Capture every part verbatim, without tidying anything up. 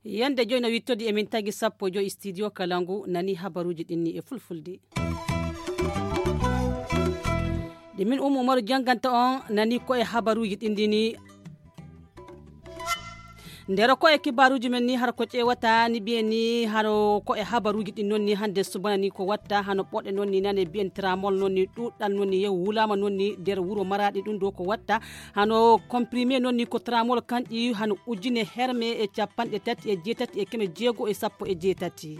Yande joyi no wittodi emin tagi sappo joyi studio Kalangu nani habaruuji ɗin ni e fulfulde. Ɗi min Umu Umaru jannganta on nani ko e habaruuji ɗin ɗi ni. Ndero ko e kibaaruuji men ni hara ko ƴeewata ni mbiyen ni haro ko e habaruuji ɗin noon ni hannde subana ni ko watta hano ɓoɗe noon ni nane mbiyen tramol noon ni ɗuɗɗal noon ni yew wulaama noon ni nder wuro Maraaɗi ɗum ɗo ko watta hano comprimé noon ni ko tramol kanƴi hano ujine herme e capanɗe tati e jeetati e keme jeego e sappo e jeetati.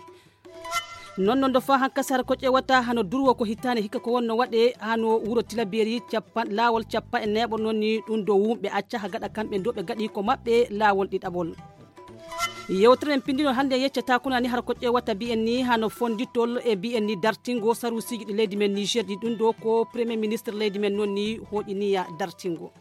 Noon noon ɗo faa hankasar ko ƴeewata hano durwo ko hitaane hikka ko wonno waɗe hano wuro Tilaberi cappan laawol cappa e neeɓo noon ni ɗum ɗo wumɓe acca ha gaɗa kamɓe ɗo ɓe gaɗi ko maɓɓe laawol ɗiɗaɓol. Yewtere en pindino hannde yeccata kuna ni har ko ƴeewata mbiyen ni hano fonditol e mbiyen ni dartingo sarusiiji ɗi leydi men Niger ɗi ɗum ɗo ko premier ministre leydi men noon ni hooƴiniya dartingo.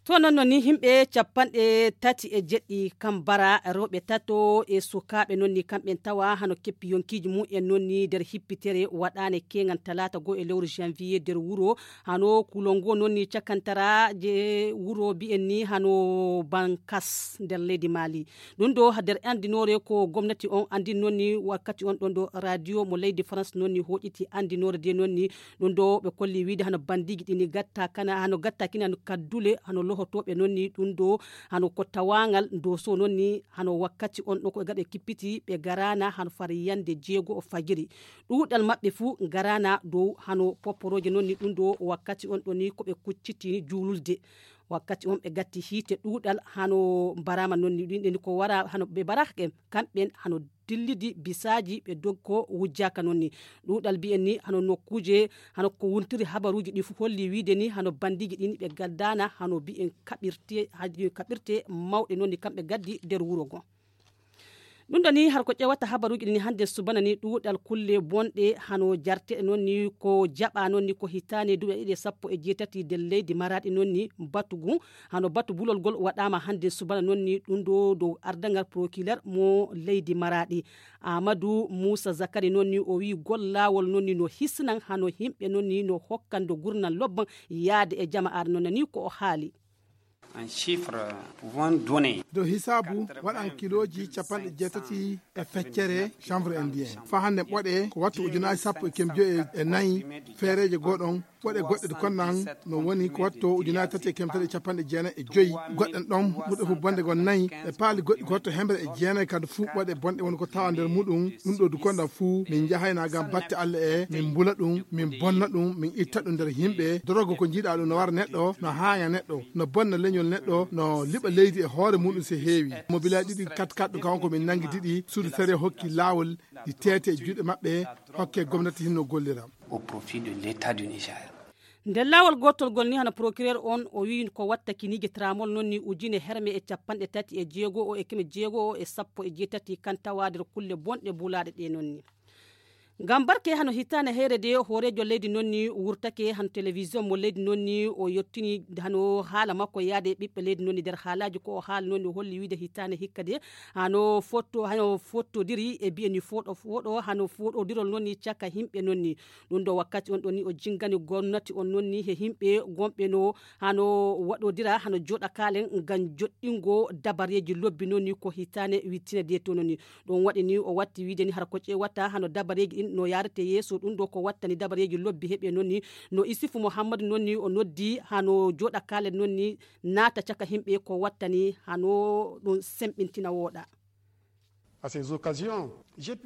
To noon noon ni yimɓe capanɗe tati e jeɗɗi kam bara rewɓe tato e sukaaɓe noon ni kamɓen tawa hano keppi yonkiiji mum en noon ni nder hippitere waɗaane keeŋan talaata goo e lewru janvier nder wuro hano kulol ngo noon ni cakantara je wuro mbiyen ni hano bankas nder leydi Mali. Ɗum ɗo nder anndinoore ko gomnati on anndin noon ni wakkati on ɗon ɗo radio mo leydi France noon ni hoƴiti anndinoore de noon ni ɗum ɗo ɓe kolli wiide hano bandiiji ɗi ni gatta kana hano gatta kina no kaddule hano lohotooɓe noon ni ɗum ɗo hano ko tawaangal doso noon ni hano wakkati on ɗo ko ɓe gaɗa kippiti ɓe garaana hano far yande jeego o fajiri. Ɗuuɗal maɓɓe fuu garaana dow hano poporooje noon ni ɗum ɗo wakkati on ɗo ni ko ɓe kucciti juululde. Wakkati on ɓe gatti hiite ɗuuɗal hano mbaraama noon ni ɗum ɗo ni ko wara hano ɓe mbarahɓe kamɓen hano dillidi bisaaji ɓe doggo wujjaaka noon ni. Ɗuuɗal mbiyen ni hano nokkuuje hano ko wontiri habaruuji ɗi fof holli wiide ni hano bandiiji ɗin ɓe gaddaana hano mbiyen kaɓirte haji kaɓirte mawɗe noon ni kamɓe gaddi nder wuro ngo. Ɗum ɗo ni har ko ƴewata habaruuji ɗin hannde subana ni ɗuuɗal kulle bonɗe hano jarteɗe noon ni ko jaɓa noon ni ko hitaane duuɓi ɗiɗi e sappo e jeetati nder leydi Maraaɗi noon ni batugu hano batu bulol ngol waɗaama hannde subana noon ni ɗum ɗo dow ardangal procureur mo leydi Maraaɗi. Amadou Moussa Zakari noon ni o wii gol laawol noon ni no hisnan hano yimɓe noon ni no hokkan do gurnan lobban yaade e jama'aare noon ni ko o haali. Un chiffre, pour vous donner. Dow hisaabu waɗan kilooji capanɗe jeetati e feccere chanvre indien faa hannde ɓoɗe ko wattu ujunaaji sappo e keme joyi e nayi feereeje goo ɗon ɓoɗe goɗɗe konnan no woni ko watto ujunaaji tati e keme tati e capanɗe jeenayi e joyi goɗɗen ɗon ɓurɗe fof bonde gon nayi ɓe paali goɗɗi ko watto hemre e jeenayi kadi fuu ɓoɗe bonɗe woni ko tawa nder muɗum ɗum ɗo du konnan fuu min njahayna gam batte Allah e min mbula ɗum min bonna ɗum min itta ɗum nder yimɓe dorogo ko njiɗa ɗum no wara neɗɗo no haaña neɗɗo no bonna leñol neɗɗo no liɓa leydi e hoore muɗum so heewi mo bila ɗiɗi kat kat ɗo kanko min nangi diɗi suudu sariya hokki laawol ɗi teete e juuɗe maɓɓe hokke gomnati hinno gollira. Au profit de l'état du Niger. Nder laawol gootol ngol ni hano procureur on o wiyi ko watta kiniije tramol noon ni ujine herme e capanɗe tati e jeego o e keme jeego o e sappo e jeetati kan tawa nder kulle bonɗe bulaaɗe ɗe noon ni. Ngam barke hano hitaande heere de hooreejo leydi noon ni wurtake hano télévision mo leydi noon ni o yottini hano haala makko yaade e ɓiɓɓe leydi noon ni nder haalaaji ko o haali noon ni o holli wiide hitaande hikka de hano fotto hano fottodiri e mbiyen ni fooɗo fooɗo hano fooɗodirol noon ni caka yimɓe noon ni. Ɗum ɗo wakkati on ɗon ni o jingani gomnati on noon ni he yimɓe gonɓe no hano waɗodira hano jooɗa kaalen ngam joɗɗingo dabareeji lobbi noon ni ko hitaande wittine de to noon ni. Ɗum waɗi ni o watti wiide ni hara ko ƴeewata hano dabareeji ɗin no yaarete yeeso ɗum ɗo ko wattani dabareeji lobbi heɓe noon ni no Isufu Muhammadu noon ni o noddi hano jooɗa kaalen noon ni naata caka yimɓe ko wattani hano ɗum semɓintina wooɗa.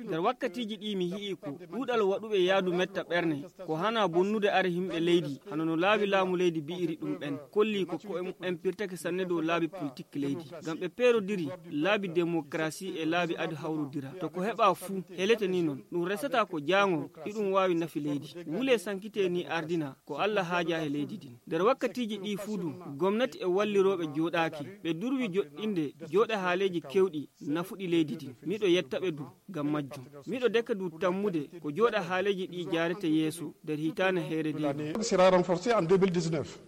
Nder wakkatiiji ɗii mi hi'i ko ɗuuɗal waɗuɓe yaadu metta ɓerne ko hana bonnude are yimɓe leydi hano no laabi laamu leydi bi'iri ɗum ɓen kolli ko ko'e muɓɓen pirtake sanne dow laabi politik leydi ngam ɓe peerodiri laabi demokarasi e laabi adu hawrodira to ko heɓa fuu helete ni non ɗum resata ko jaangol iɗum waawi nafi leydi wule sankite ni ardina ko Allah haaja he leydi din nder wakkatiiji ɗii fuu du gomnati e wallirooɓe jooɗaaki ɓe durwi joɗɗinde jooɗe haaleeji kewɗi nafuɗi leydi din miɗo yetta ɓe du ngam majjum miɗo deka du tammude ko jooɗa haaleeji ɗii jaarete yeeso nder hitaande heere de sera renforcé en deux mille dix-neuf.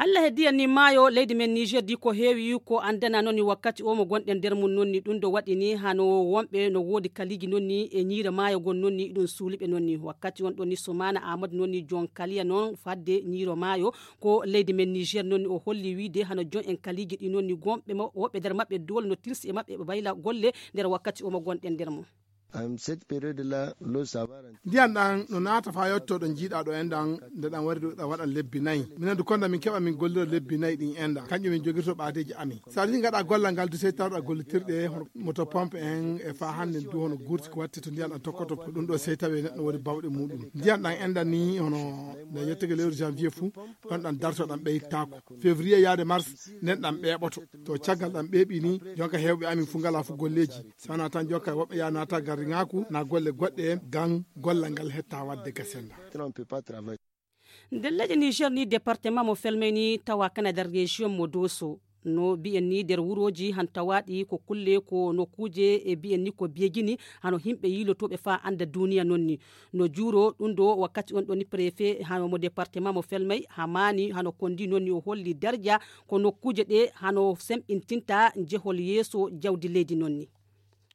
Ella heddiyan ni maayo leydi men niger di ko heewi ko anndana noon ni wakkati o mo gonɗen nder mum noon ni ɗum ɗo waɗi ni hano wonɓe no woodi kaliiji noon ni e ñiire maayo gon noon ni ɗum suuliɓe noon ni wakkati on ɗon ni sumana amadou noon ni jon kaliya noon fadde ñiiro maayo ko leydi men niger noon ni o holli wiide hano jon en kaliiji ɗi noon ni gonɓe mo woɓɓe nder maɓɓe doole no tilsi e maɓɓe ɓe mbayla golle nder wakkati o mo gonɗen nder mum. Ndiyan ɗan no naata faa yotto ɗo jiiɗaa ɗo enɗan nde ɗan wari ɗo ɗan waɗan lebbi nayi minen du konda min keɓa min gollira lebbi nayi ɗin enɗan kanƴum min jogirto ɓaadeeji amin. So a ɗin gaɗa gollal ngal du sey tawɗa gollitirɗe hono moto pompe en e faa hannde du hono gurti ko watti to ndiyan ɗan tokkoto ko ɗum ɗo sey tawi neɗɗo woni bawɗe muɗum ndiyan ɗan enɗan ni hono nde yettege lewru janvier fuu ɗon ɗan darto ɗan ɓeytaako. Février yaade mars nden ɗan ɓeeɓoto. To caggal ɗan ɓeeɓi ni jonka hewɓe amin fuu ngala fuu golleeji. Sana tan jokka woɓɓe ya naata garriŋaaku na golle goɗɗe en gan gollal ngal hetta wadde gasenda. Nder leƴƴe niger ni département mo felmay ni tawa kana nder région mo doso no mbiyen ni nder wurooji han tawaaɗi ko kulle ko nokkuuje e mbiyen ni ko beegini hano yimɓe yiilotooɓe faa annda duuniya noon ni no juuro ɗum ɗo wakkati on ɗoni préfet hano mo département mo felmay hamaani hano kondi noon ni o holli darja ko nokkuuje ɗe hano semɓintinta njehol yeeso jawdi leydi noon ni.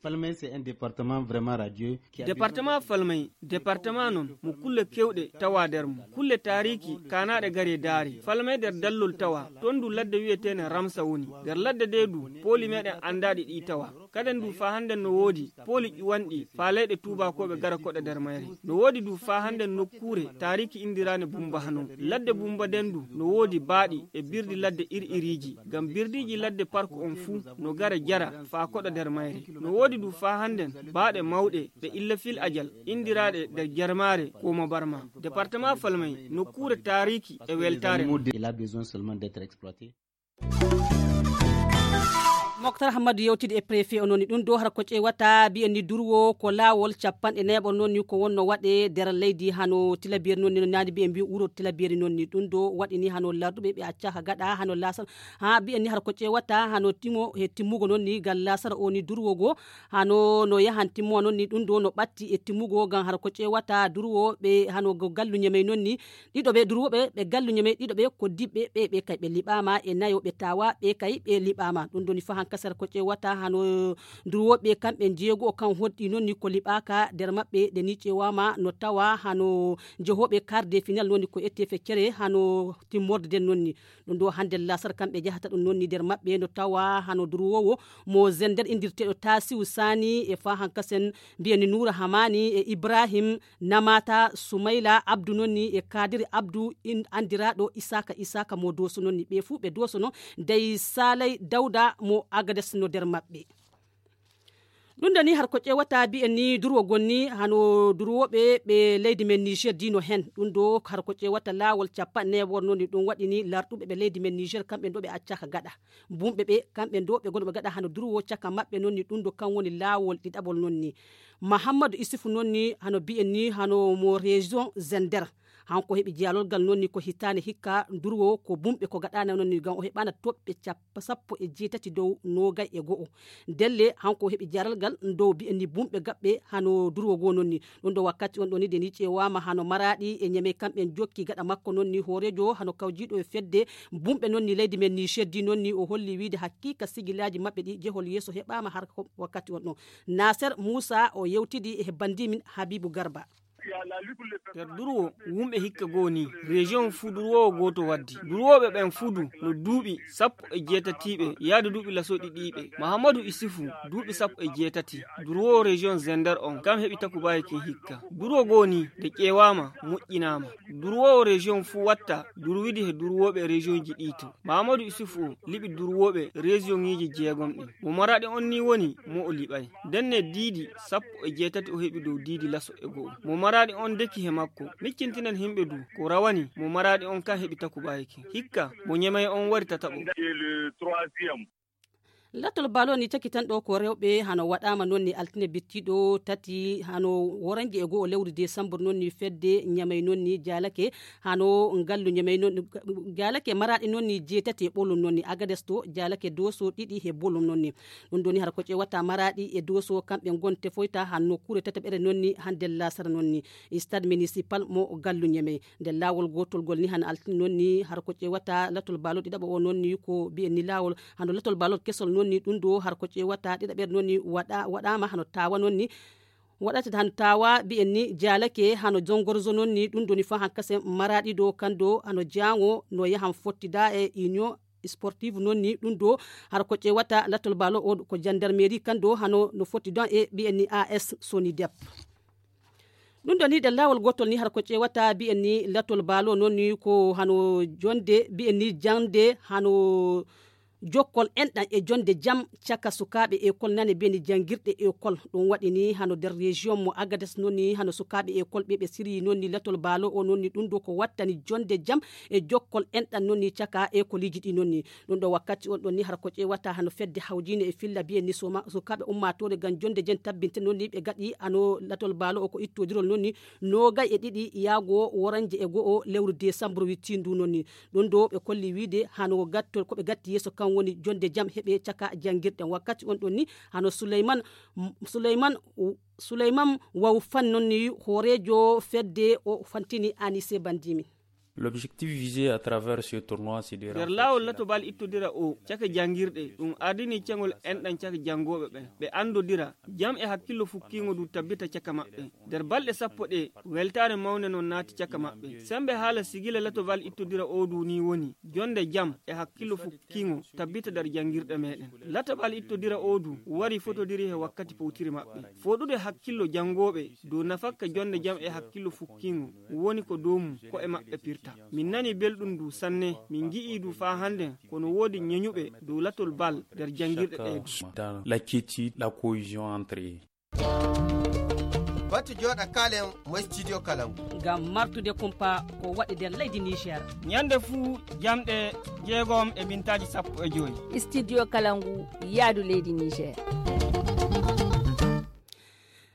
Falmay c'est un département vraiment radieux. Département falmay département noon mo kulle kewɗe tawa nder mum kulle taariki kaanaaɗe gari e daari falmay nder dallol tawa toon du ladde wiyeteene ramsa woni nder ladde de du pooli meɗen anndaaɗi ɗi tawa kaden du faa hannden no woodi pooli ƴuwanɗi faa leyɗe tuubaakooɓe gara koɗa nder mayre no woodi du faa hannden nokkuure taariki indiraane bumba hano ladde bumba nden du no woodi baaɗi e birdi ladde ir-iriiji ngam birdiiji ladde park on fuu no gara jara faa koɗa nder mayre no woodi du faa hannden baaɗe mawɗe ɗe illa fil ajal indiraaɗe nder jarmaare koma barma département falmay nokkuure taariki e weltaare. Moktar hammadu yewtidi e préfet o noon ni ɗum ɗo hara ko ƴeewata mbiyen ni durwo ko laawol capanɗe neeɓo noon ni ko wonno waɗe nder leydi hano tilabiyeri noon ni no naani mbiyen mbi wuro tilabiyeri noon ni ɗum ɗo waɗi ni hano larduɓe ɓe accaka gaɗa hano lasara ha mbiyen ni hara ko ƴeewata hano timo he timmugo noon ni ngal lasara o ni durwo go hano no yahan timmo noon ni ɗum ɗo no ɓatti e timmugo ngam hara ko ƴeewata durwo ɓe hano galluñe may noon ni ɗiɗo ɓe durwoɓe ɓe galluñe may ɗiɗo ɓe ko diɓɓe ɓe ɓe kay ɓe liɓama e nayo ɓe tawa ɓe kay ɓe liɓama ɗum ɗoni fa hankasara ko ƴeewata hano durwoɓe kamɓe jeego o kan hoɗɗi noon ni ko liɓaka nder maɓɓe nde ni ƴeewama no tawa hano jehoɓe quart de final noon ni ko ette feccere hano timmorde nden noon ni ɗum ɗo hande lasar kamɓe jahata ɗum noon ni nder maɓɓe no tawa hano durwowo mo zender indirteɗo tasiu sani e fa hankasen mbiyani noura hamani e ibrahim namata sumayla abdu noon ni e kadiri abdu anndiraɗo isaka isaka mo doso noon ni ɓe fuu ɓe dosono dey salay dawda mo agades no nder maɓɓe. Ɗum ɗo ni har ko ƴewata mbiyen ni durwogol ni hano durwoɓe ɓe leydi men niger dino hen ɗum ɗo har ko ƴewata lawol capanɗe newor noon ni ɗum waɗi ni larɗuɓe ɓe leydi men niger kamɓe ɗo ɓe accaka gaɗa bumɓe ɓe kamɓe ɗo ɓe gono ɓe gaɗa hano durwo caka maɓɓe noon ni ɗum ɗo kan woni lawol ɗiɗaɓol noon ni. Mahammadu isufu noon ni hano mbiyen ni hano mo région zender hanko heɓi jiyalolgal noon ni ko hitaande hikka durwo ko bumɓe ko gaɗaana noon ni ngam o heɓaana toɓɓe cappa sappo e jeetati dow noogay e go'o. Ndelle hanko heɓi jaralgal dow mbiyen ni bumɓe gaɓɓe hano durwo goo noon ni. Ɗum ɗo wakkati on ɗo ni de ni ƴeewaama hano maraaɗi e ñeme kamɓe jokki gaɗa makko noon ni hooreejo hano kawjiiɗo e fedde bumɓe noon ni leydi men ni sheddi noon ni o holli wiide hakkiika sigilaaji maɓɓe ɗi jehol yeeso heɓaama har wakkati on ɗo. Naser muusa o yewtidi e banndi min habiibu garba. Nder durwo wumɓe hikka goo nii region fuu durwoowo gooto waddi durwooɓe ɓen fuu du no duuɓi sappo e jeetatiiɓe yaade duuɓi laso ɗiɗiiɓe mahamadu isifu duuɓi sappo e jeetati durwoowo region zender on kam heɓi takubaye kin hikka durwo goo nii nde ƴeewaama moƴƴinaama durwoowo region fuu watta durwidi he durwooɓe region ji ɗii to mahamadu isifu o liɓi durwooɓe region ŋiiji jeegom ɗin mo maraɗi on nii woni mo o liɓay ndenne diidi sappo e jeetati o heɓi dow diidi laso e go'o mo maraɗi on deki he makko miccintinen himɓe du ko rawani mo maraɗi on kan heɓi takubaye kin hikka mo ñemay on wari tataɓo. Latol balo ni cakitanɗo ko rewɓe hano waɗama noon ni altine bittiɗo tati hano woranje e go'o lewru desambur noon ni fedde ñamay noon ni jalake hano ngallu ñamay noon jalake maraɗi noon ni jeetati e ɓolum noon ni agades to jalake doso ɗiɗi he bolum noon ni. Ɗum ɗo ni hara ko ƴewata maraɗi e doso kamɓe gonte foyta han nokkure tataɓere noon ni hande lasara noon ni stade municipal mo gallu ñamay. Nder laawol gootol ngol ni hano altini noon ni hara ko ƴeewata latol baalol ɗiɗaɓo o noon ni ko mbiyen ni laawol hano latol baalol kesol noon ni ɗum ɗo hara ko ƴeewata ɗiɗaɓere noon ni waɗa waɗaama hano taawa noon ni waɗata hano taawa mbiyen ni jaalake hano jongorzo noon ni ɗum ɗo ni fa han kasen maraɗi ɗo kan ɗo hano jaango no yahan fottida e union sportive noon ni ɗum ɗo hara ko ƴeewata latol baalo o ko jandarmeri kan ɗo hano no fotti ɗon e mbiyen ni as sonidep. Ɗum ɗo ni ɗen laawol gootol ni hara ko ƴeewata mbiyen ni latol baalo noon ni ko hano jonde mbiyen ni jande hano jokkol enɗan e jonde jam caka sukaaɓe ekol nane mbiyen ni janngirɗe ekol. Ɗum waɗi ni hano nder région mo agades noon ni hano sukaaɓe ekol ɓe ɓe siryi noon ni latol baalo o noon ni ɗum ɗo ko wattani jonde jam e jokkol enɗan noon ni caka ekoliji ɗi noon ni. Ɗum ɗo wakkati on ɗon ni hara ko ƴeewata hano fedde hawjine e filla mbiyen ni soma sukaaɓe ummaatoore ngam jonde jen tabbinte noon ni ɓe gaɗi hano latol baalo o ko ittodirol noon ni noogay e ɗiɗi yaago woranje e go'o lewru desambur wittindu noon ni. Ɗum ɗo ɓe kolli wiide hano gattol ko ɓe gatti yeeso kan woni jonde jam heɓe caka janngirɗen wakkati on ɗon ni hano suleyman suleyman suleyman waw fan noon ni hooreejo fedde o fantini anise bandimi. L'objectif visé à travers ce tournoi c'est de nder laawol latobal ittodira o caka janngirɗe ɗum ardini cengol enɗan caka janngooɓe ɓen ɓe anndodira jam e hakkillo fukkiingo ndu tabbita caka maɓɓe. Nder balɗe sappo ɗe weltaare mawnde non naati caka maɓɓe. Semmbe haala sigila latobal ittodira o ndu ni woni jonnde jam e hakkillo fukkiingo tabbita nder janngirɗe meɗen. Latobal ittodira o ndu wari fotodiri he wakkati powtiri maɓɓe. Fooɗude hakkillo janngooɓe dow nafakka jonnde jam e hakkillo fukkiingo woni ko dow mum ko'e maɓɓe pirta. Min nani belɗum ndu sanne, min ngi'ii ndu faa hannden ko no woodi ñeñuɓe dow latol bal nder janngirɗe ɗee du. Dans la quiétude, la cohésion entre eux. Batu jooɗa kaalen mo studio Kalangu. Ngam martude kumpa ko waɗi nder leydi Niger. Ñande fuu jamɗe jeegom e mintaaji sappo e joy. Studio Kalangu yaadu leydi Niger.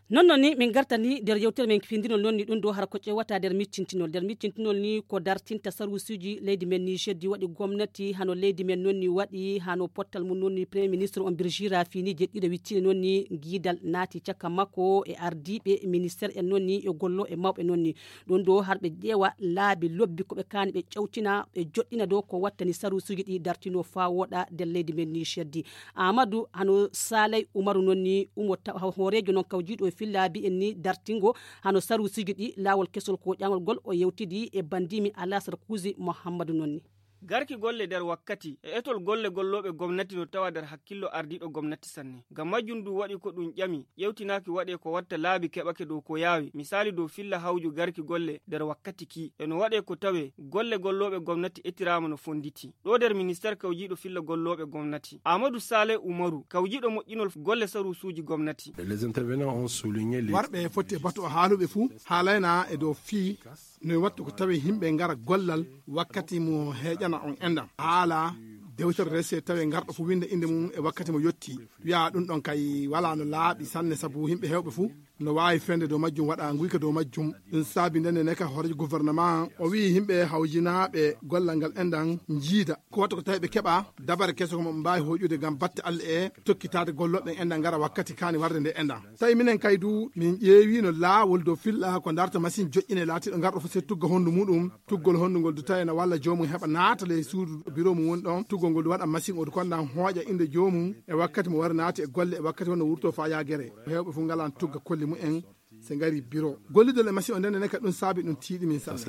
Non non ni min gartani nder yewtere men findinol non ni ɗum ɗo hara ko ƴewata nder miccintinol nder miccintinol ni ko dartinta sarusuji leydi men ni jeddi waɗi gomnati hano leydi men non ni waɗi hano pottal mum non ni premier ministre on birgira fini jeɗɗiɗo wittini non ni giidal naati caka makko e ardiɓe ministère en non ni e gollo e mawɓe non ni. Ɗum ɗo harɓe ƴeewa laabi lobbi ko ɓe kaani ɓe ƴewtina ɓe joɗɗina dow ko wattani sarusuji ɗi dartino faa woɗa nder leydi men ni jeddi. Amadou hano salay umaru noon ni umo hooreejo noon kawjiiɗo e fillaabi en ni dartingo hano saruusiiji ɗi laawol kesol ko ƴaŋol ngol o yewtidi e banndimi alasar kuusi muhammadu noon ni. Garki golle nder wakkati e etol golle gollooɓe gomnati no tawa nder hakkillo ardiiɗo gomnati sanne. Ngam majjum ndu waɗi ko ɗum ƴami ƴewtinaaki waɗee ko watta laabi keɓake dow ko yaawi misaali dow filla hawju garki golle nder wakkati kii e no waɗee ko tawee golle gollooɓe gomnati etiraama no fonnditi. Ɗo nder ministeer kawjiiɗo filla gollooɓe gomnati amadu sale umaru kawjiiɗo moƴƴinol golle saruusuuji gomnati. Warɓe foti e batu o haaluɓe fuu haalayna e dow fii no e wattu ko tawi yimɓe ngara gollal wakkati mo heeƴana on enɗam haala dewtere rese tawi ngarɗo fuu winnda innde mum e wakkati mo yotti. Wiya ɗum ɗon kay wala no laaɓi sanne sabu yimɓe heewɓe fuu no waawi fende dow majjum waɗa nguyka dow majjum. Ɗum saabi ndenne neka hooreejo gouvernement o wiyi yimɓe hawjinaaɓe gollal ngal enɗan njiida ko watta ko tawi ɓe keɓa dabare kese ko mo ɓe mbaawi hoƴude ngam batte allah e tokkitaade gollooɓe enɗan ngara wakkati kaani warde nde enɗan. Tawi minen kay du min ƴeewino laawol dow filla ko darta machine joƴƴine laatiiɗo ngarɗo fof se tugga honndu muɗum tuggol honndu ngol du tawi ene walla joomum heɓa naata ley suudu biro mum woni ɗon tuggol ngol du waɗa machine o du kondan hooƴa innde joomum e wakkati mo wari naati e golle e wakkati wonno wurto faa yaa gere. Heewɓe fof ngalan tugga kolli mumen se ngari biro gollidol e machine o ndende neka ɗum saabi ɗum tiiɗi min sanne.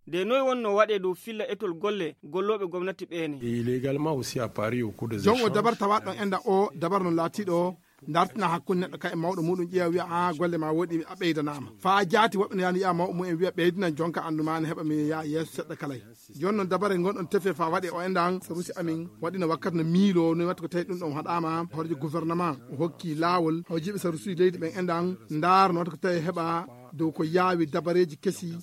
Nde noy wonno waɗe dow filla etol golle gollooɓe gomnati ɓeene. Jon o dabar tawaɗo ɗon enda o dabar no laatiɗo dartina hakkunde neɗɗo kay e mawɗo muɗum ƴeewa wiya a golle ma woɗi a ɓeydanaama faa jaati woɓɓe no yaani yiya mawɓe mumen wiya ɓeydinan jonka anndu ma ne heɓa mi yaa yeeso seɗɗa kalay. Jooni noon dabare ngonɗon tefe faa waɗe o enɗan sarusi amin waɗino wakkati no miilo no watta ko tawi ɗum ɗon haɗaama horeejo gouvernement o hokki laawol hawjiiɓe sarusuji leydi ɓen enɗan ndaar no watta ko tawi heɓa dow ko yaawi dabareeji kesi,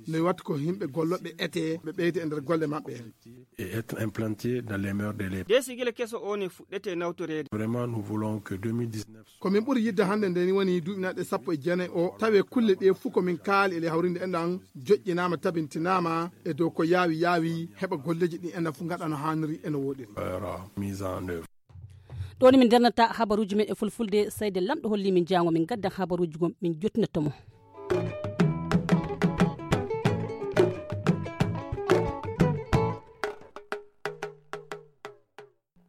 no watta ko yimɓe gollooɓe ete ɓe ɓeyda e nder golle maɓɓe en. Et être implanté dans les mœurs de l'État. Dee sigila keso o ne fuɗɗete nawtoreede. Vraiment, nous voulons que deux mille dix-neuf. Ko min ɓuri yidde hannde nde ni woni duuɓi naɗe sappo e jeenayi o, tawe kulle ɗe fof ko min kaali e le hawrinde enɗan, joƴƴinaama, tabintinaama e dow ko yaawi yaawi, heɓa golleeji ɗi enɗan fof ngaɗa no haaniri e no wooɗiri. Mise en œuvre. Ɗo ni min ndernata habaruuji men e fulfulde, seyde Lamɗo holli min jaango min gaddan habaruuji gom min jottinatto mo.